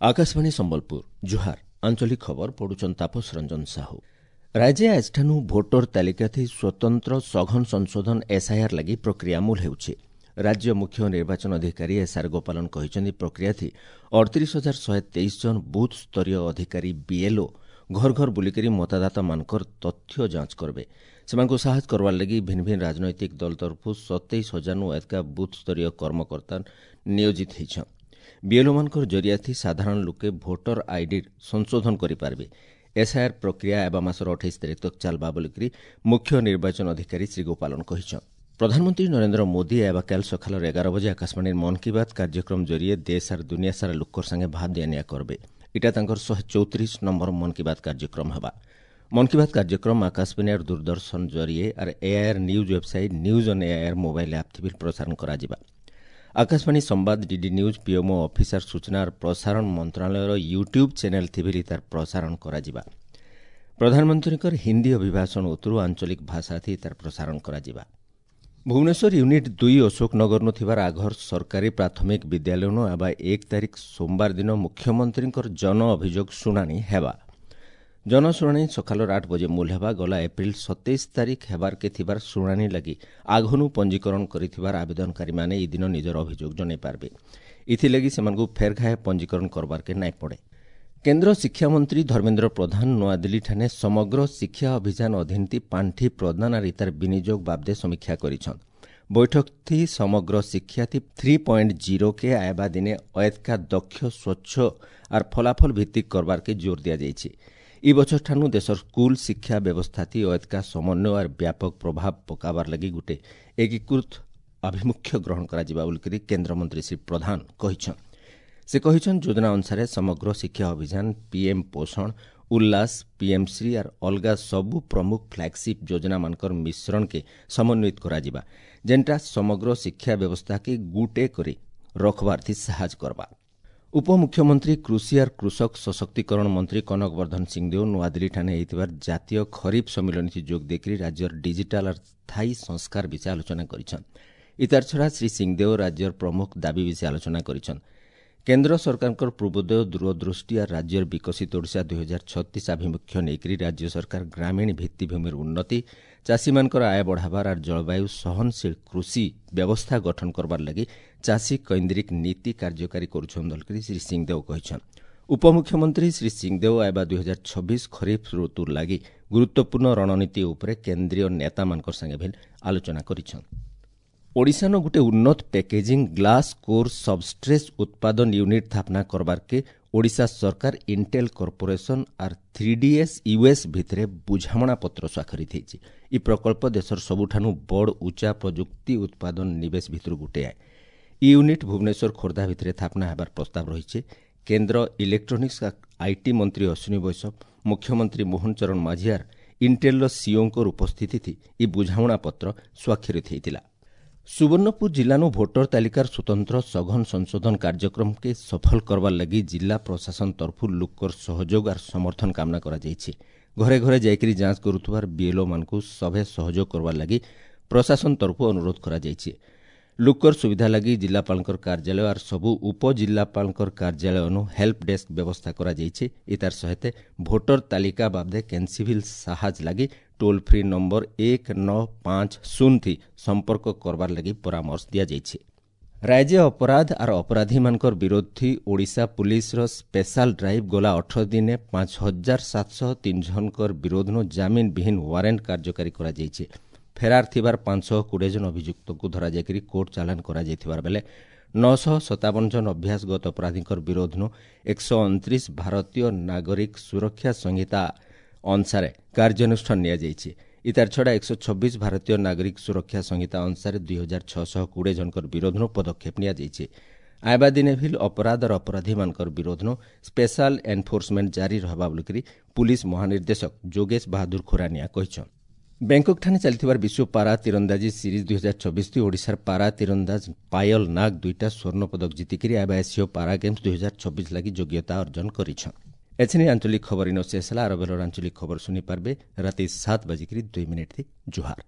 Akashvani Sambalpur ଜୁହାର। ଆଞ୍ଚଳିକ ଖବର ପଢୁଛନ୍ ତାପସ ରଞ୍ଜନ ସାହୁ। ରାଜ୍ୟ ଆଜିଠାନୁ ଭୋଟର ତାଲିକାଥି ସ୍ୱତନ୍ତ୍ର ସଘନ ସଂଶୋଧନ ଏସ୍ଆଇଆର୍ ଲାଗି ପ୍ରକ୍ରିୟା ମୂଲ ହେଉଛି। ରାଜ୍ୟ ମୁଖ୍ୟ ନିର୍ବାଚନ ଅଧିକାରୀ ଏସ୍ଆର୍ ଗୋପାଳନ କହିଛନ୍ତି, ପ୍ରକ୍ରିୟାଥି 38,123 ଜଣ ବୁଥ୍ ସ୍ତରୀୟ ଅଧିକାରୀ ବିଏଲ୍ଓ ଘର ଘର ବୁଲିକରି ମତଦାତାମାନଙ୍କର ତଥ୍ୟ ଯାଞ୍ଚ କରିବେ। ସେମାନଙ୍କୁ ସାହାଯ୍ୟ କରବାର୍ ଲାଗି ଭିନ୍ନ ଭିନ୍ନ ରାଜନୈତିକ ଦଳ ତରଫରୁ 27,000ନୁ ଅଧିକା ବୁଥ୍ ସ୍ତରୀୟ କର୍ମକର୍ତ୍ତା ନିୟୋଜିତ ହେଇଛନ୍। ବିଏଲ୍ଓମାନଙ୍କର ଜରିଆଥି ସାଧାରଣ ଲୋକେ ଭୋଟର ଆଇଡି ସଂଶୋଧନ କରିପାରିବେ। ଏସ୍ଆଇଆର୍ ପ୍ରକ୍ରିୟା ଆଇବା ମାସର 28 ତାରିଖ ତକ୍ ଚାଲ୍ବା ବୋଲିକରି ମୁଖ୍ୟ ନିର୍ବାଚନ ଅଧିକାରୀ ଶ୍ରୀ ଗୋପାଳନ କହିଛନ୍। ପ୍ରଧାନମନ୍ତ୍ରୀ ନରେନ୍ଦ୍ର ମୋଦି ଆଇବା କାଲ୍ ସକାଳର 11 ବଜେ ଆକାଶବାଣୀର ମନ୍ କି ବାତ୍ କାର୍ଯ୍ୟକ୍ରମ ଜରିଏ ଦେଶ ଆର୍ ଦୁନିଆ ସାରା ଲୋକର ସାଙ୍ଗେ ଭାବ ଦିଆନିଆ କରବେ। ଇଟା ତାଙ୍କର 134 ନମ୍ବର ମନ୍ କି ବାତ୍ କାର୍ଯ୍ୟକ୍ରମ ହେବା। ମନ୍ କି ବାତ୍ କାର୍ଯ୍ୟକ୍ରମ ଆକାଶବାଣୀ ଆର୍ ଦୂରଦର୍ଶନ ଜରିଏ ଆର୍ AIR news website, news on AIR mobile app ଥି ପ୍ରସାରଣ କରାଯିବା। ଆକାଶବାଣୀ ସମ୍ବାଦ, ଡିଡି ନ୍ୟୁଜ୍, ପିଏମ୍ଓ ଅଫିସର, ସୂଚନା ଆର୍ ପ୍ରସାରଣ ମନ୍ତ୍ରଣାଳୟର ୟୁଟ୍ୟୁବ୍ ଚ୍ୟାନେଲ୍ ଥିବି ତାର ପ୍ରସାରଣ କରାଯିବା। ପ୍ରଧାନମନ୍ତ୍ରୀଙ୍କର ହିନ୍ଦୀ ଅଭିଭାଷଣ ଉତ୍ତରୁ ଆଞ୍ଚଳିକ ଭାଷାଥି ତାର ପ୍ରସାରଣ କରାଯିବା। ଭୁବନେଶ୍ୱର ୟୁନିଟ୍ 2 ଅଶୋକନଗରନୁ ଥିବାର ଆଘର ସରକାରୀ ପ୍ରାଥମିକ ବିଦ୍ୟାଳୟନୁ ଆବା 1 ତାରିଖ ସୋମବାର ଦିନ ମୁଖ୍ୟମନ୍ତ୍ରୀଙ୍କର ଜନ ଅଭିଯୋଗ ଶୁଣାଣି ହେବା। ଜନଶୁଣାଣି ସକାଳର 8 ବଜେ ମୂଲ ହେବା। ଗଲା ଏପ୍ରିଲ 27 ତାରିଖ ହେବାରକେ ଥିବାର ଶୁଣାଣି ଲାଗି ଆଘନୁ ପଞ୍ଜୀକରଣ କରିଥିବାର ଆବେଦନକାରୀମାନେ ଏହି ଦିନ ନିଜର ଅଭିଯୋଗ ଜଣାଇ ପାରିବେ। ଏଥିଲାଗି ସେମାନଙ୍କୁ ଫେର୍ ଘାଏ ପଞ୍ଜୀକରଣ କରବାରକେ ନାଇଁ ପଡ଼େ। କେନ୍ଦ୍ର ଶିକ୍ଷାମନ୍ତ୍ରୀ ଧର୍ମେନ୍ଦ୍ର ପ୍ରଧାନ ନୂଆଦିଲ୍ଲୀଠାନେ ସମଗ୍ର ଶିକ୍ଷା ଅଭିଯାନ ଅଧୀନତି ପାଣ୍ଠି ପ୍ରଦାନ ଆର୍ ଇତାର ବିନିଯୋଗ ବାବଦେ ସମୀକ୍ଷା କରିଛନ୍। ବୈଠକଥି ସମଗ୍ର ଶିକ୍ଷାଥି 3.0 କେ ଆଇବା ଦିନେ ଅଏତକା ଦକ୍ଷ, ସ୍ୱଚ୍ଛ ଆର୍ ଫଳାଫଳ ଭିତ୍ତିକ କରବାରକେ ଜୋର ଦିଆଯାଇଛି। ଇ ବଛରଠାନୁ ଦେଶର ସ୍କୁଲ ଶିକ୍ଷା ବ୍ୟବସ୍ଥାଥି ଅଏତକା ସମନ୍ୱୟ ଆର୍ ବ୍ୟାପକ ପ୍ରଭାବ ପକାବାର ଲାଗି ଗୁଟେ ଏକୀକୃତ ଆଭିମୁଖ୍ୟ ଗ୍ରହଣ କରାଯିବା ବୋଲିକରି କେନ୍ଦ୍ରମନ୍ତ୍ରୀ ଶ୍ରୀ ପ୍ରଧାନ କହିଛନ୍। ସେ କହିଛନ୍, ଯୋଜନା ଅନୁସାରେ ସମଗ୍ର ଶିକ୍ଷା ଅଭିଯାନ, ପିଏମ୍ ପୋଷଣ, ଉଲ୍ଲାସ, ପିଏମ୍ ଶ୍ରୀ ଆର୍ ଅଲଗା ସବୁ ପ୍ରମୁଖ ଫ୍ଲାଗସିପ୍ ଯୋଜନାମାନଙ୍କର ମିଶ୍ରଣକେ ସମନ୍ୱିତ କରାଯିବା, ଯେନ୍ଟା ସମଗ୍ର ଶିକ୍ଷା ବ୍ୟବସ୍ଥାକେ ଗୁଟେ କରି ରଖବାର୍ଥି ସାହାଯ୍ୟ କରବା। ଉପମୁଖ୍ୟମନ୍ତ୍ରୀ, କୃଷି ଆର୍ କୃଷକ ସଶକ୍ତିକରଣ ମନ୍ତ୍ରୀ କନକ ବର୍ଦ୍ଧନ ସିଂଦେଓ ନୂଆଦିଲ୍ଲୀଠାନେ ହେଇଥିବାର ଜାତୀୟ ଖରିଫ ସମ୍ମିଳନୀ ଯୋଗ ଦେଇକରି ରାଜ୍ୟର ଡିଜିଟାଲ ଆର୍ ସ୍ଥାୟୀ ସଂସ୍କାର ବିଷୟ ଆଲୋଚନା କରିଛନ୍। ଇତାର ଛଡ଼ା ଶ୍ରୀ ସିଂଦେଓ ରାଜ୍ୟର ପ୍ରମୁଖ ଦାବି ବିଷୟ ଆଲୋଚନା କରିଛନ୍। କେନ୍ଦ୍ର ସରକାରଙ୍କର ପୂର୍ବୋଦୟ ଦୂରଦୃଷ୍ଟି ଆର୍ ରାଜ୍ୟର ବିକଶିତ ଓଡ଼ିଶା 2036 ଆଭିମୁଖ୍ୟ ନେଇକରି ରାଜ୍ୟ ସରକାର ଗ୍ରାମୀଣ ଭିତ୍ତିଭୂମିର ଉନ୍ନତି, ଚାଷୀମାନଙ୍କର ଆୟ ବଢ଼ାବାର ଆର୍ ଜଳବାୟୁ ସହନଶୀଳ କୃଷି ବ୍ୟବସ୍ଥା ଗଠନ କରବାର ଲାଗି ଚାଷୀ କୈନ୍ଦ୍ରିକ ନୀତି କାର୍ଯ୍ୟକାରୀ କରୁଛନ୍ ବୋଲିକରି ଶ୍ରୀ ସିଂଦେଓ କହିଛନ୍। ଉପମୁଖ୍ୟମନ୍ତ୍ରୀ ଶ୍ରୀ ସିଂଦେଓ ଆଇବା 2026 ଖରିଫ ଋତୁ ଲାଗି ଗୁରୁତ୍ୱପୂର୍ଣ୍ଣ ରଣନୀତି ଉପରେ କେନ୍ଦ୍ରୀୟ ନେତାମାନଙ୍କର ସାଙ୍ଗେ ଭିଲ୍ ଆଲୋଚନା କରିଛନ୍। ଓଡ଼ିଶାନ ଗୋଟେ ଉନ୍ନତ ପ୍ୟାକେଜିଂ ଗ୍ଲାସ୍ କୋର୍ ସବଷ୍ଟ୍ରେସ୍ ଉତ୍ପାଦନ ୟୁନିଟ୍ ସ୍ଥାପନା କରବାର୍କେ ଓଡ଼ିଶା ସରକାର ଇଣ୍ଟେଲ୍ କର୍ପୋରେସନ୍ ଆର୍ 3DS US ଭିତରେ ବୁଝାମଣା ପତ୍ର ସ୍ୱାକ୍ଷରିତ ହେଇଛି। ଇ ପ୍ରକଳ୍ପ ଦେଶର ସବୁଠାନୁ ବଡ଼ ଉଚ୍ଚା ପ୍ରଯୁକ୍ତି ଉତ୍ପାଦନ ନିବେଶ ଭିତରୁ ଗୋଟିଏ। ଇ ୟୁନିଟ୍ ଭୁବନେଶ୍ୱର, ଖୋର୍ଦ୍ଧା ଭିତରେ ସ୍ଥାପନା ହେବାର ପ୍ରସ୍ତାବ ରହିଛି। କେନ୍ଦ୍ର ଇଲେକ୍ଟ୍ରୋନିକ୍ସ IT ମନ୍ତ୍ରୀ ଅଶ୍ୱିନୀ ବୈଷ୍ଣବ, ମୁଖ୍ୟମନ୍ତ୍ରୀ ମୋହନ ଚରଣ ମାଝିଆର ଇଣ୍ଟେଲ୍ର ସିଇଓଙ୍କର ଉପସ୍ଥିତି ଇ ବୁଝାମଣା ପତ୍ର ସ୍ୱାକ୍ଷରିତ ହେଇଥିଲା। ସୁବର୍ଣ୍ଣପୁର ଜିଲ୍ଲାନୁ ଭୋଟର ତାଲିକାର ସ୍ୱତନ୍ତ୍ର ସଘନ ସଂଶୋଧନ କାର୍ଯ୍ୟକ୍ରମକେ ସଫଳ କରବାର୍ ଲାଗି ଜିଲ୍ଲା ପ୍ରଶାସନ ତରଫରୁ ଲୋକର ସହଯୋଗ ଆର୍ ସମର୍ଥନ କାମନା କରାଯାଇଛି। ଘରେ ଘରେ ଯାଇକରି ଯାଞ୍ଚ କରୁଥିବାର ବିଏଲ୍ଓମାନଙ୍କୁ ସଭେ ସହଯୋଗ କରବାର୍ ଲାଗି ପ୍ରଶାସନ ତରଫରୁ ଅନୁରୋଧ କରାଯାଇଛି। ଲୋକର ସୁବିଧା ଲାଗି ଜିଲ୍ଲାପାଳଙ୍କର କାର୍ଯ୍ୟାଳୟ ଆର୍ ସବୁ ଉପଜିଲ୍ଲାପାଳଙ୍କର କାର୍ଯ୍ୟାଳୟନୁ ହେଲ୍ପ ଡେସ୍କ ବ୍ୟବସ୍ଥା କରାଯାଇଛି। ଇତାର ସହିତ ଭୋଟର ତାଲିକା ବାବଦେ କେନ୍ସିଭିଲ୍ ସାହାଯ୍ୟ ଲାଗି ଟୋଲ୍ ଫ୍ରି ନମ୍ବର 1950 ଥି ସମ୍ପର୍କ କରବାର୍ ଲାଗି ପରାମର୍ଶ ଦିଆଯାଇଛି। ରାଜ୍ୟ ଅପରାଧ ଆର୍ ଅପରାଧୀମାନଙ୍କର ବିରୋଧୀ ଓଡ଼ିଶା ପୁଲିସର ସ୍ପେଶାଲ ଡ୍ରାଇଭ୍ ଗଲା 18 ଦିନେ 5703 ଜଣଙ୍କର ବିରୋଧନୁ ଜାମିନ ବିହୀନ ୱାରେଣ୍ଟ କାର୍ଯ୍ୟକାରୀ କରାଯାଇଛି। ଫେରାର ଥିବାର 520 ଜଣ ଅଭିଯୁକ୍ତଙ୍କୁ ଧରାଯାଇକରି କୋର୍ଟ ଚାଲାଣ କରାଯାଇଥିବାର ବେଲେ 957 ଜଣ ଅଭ୍ୟାସଗତ ଅପରାଧୀଙ୍କର ବିରୋଧନୁ 129 ଭାରତୀୟ ନାଗରିକ ସୁରକ୍ଷା ସଂହିତା ଅନୁସାରେ କାର୍ଯ୍ୟାନୁଷ୍ଠାନ ନିଆଯାଇଛି। ଇତାର ଛଡ଼ା 126 ଭାରତୀୟ ନାଗରିକ ସୁରକ୍ଷା ସଂହିତା ଅନୁସାରେ 2620 ଜଣଙ୍କର ବିରୋଧନୁ ପଦକ୍ଷେପ ନିଆଯାଇଛି। ଆଇବା ଦିନେ ଭିଲ୍ ଅପରାଧର ଅପରାଧୀମାନଙ୍କର ବିରୋଧନୁ ସ୍ପେଶାଲ ଏନଫୋର୍ସମେଣ୍ଟ ଜାରି ରହିବା ବୋଲିକରି ପୁଲିସ ମହାନିର୍ଦ୍ଦେଶକ ଯୋଗେଶ ବାହାଦୁର ଖୁରାନିଆ କହିଛନ୍। ବ୍ୟାଙ୍କକ୍ଠାରେ ଚାଲିଥିବାର ବିଶ୍ୱ ପାରା ତୀରନ୍ଦାଜି ସିରିଜ୍ 2026 ଓଡ଼ିଶାର ପାରା ତୀରନ୍ଦାଜ ପାୟଲ ନାଗ 2ଟା ସ୍ୱର୍ଣ୍ଣ ପଦକ ଜିତିକରି ଆଇବା ଏସୀୟ ପାରା ଗେମ୍ସ 2026 ଲାଗି ଯୋଗ୍ୟତା ଅର୍ଜନ କରିଛନ୍। ଏଛିନି ଆଞ୍ଚଳିକ ଖବର ଇନ ଶେଷ ହେଲା। ଆର ବେଲର ଆଞ୍ଚଳିକ ଖବର ଶୁଣିପାରିବେ ରାତି 7:02। ଜୁହାର।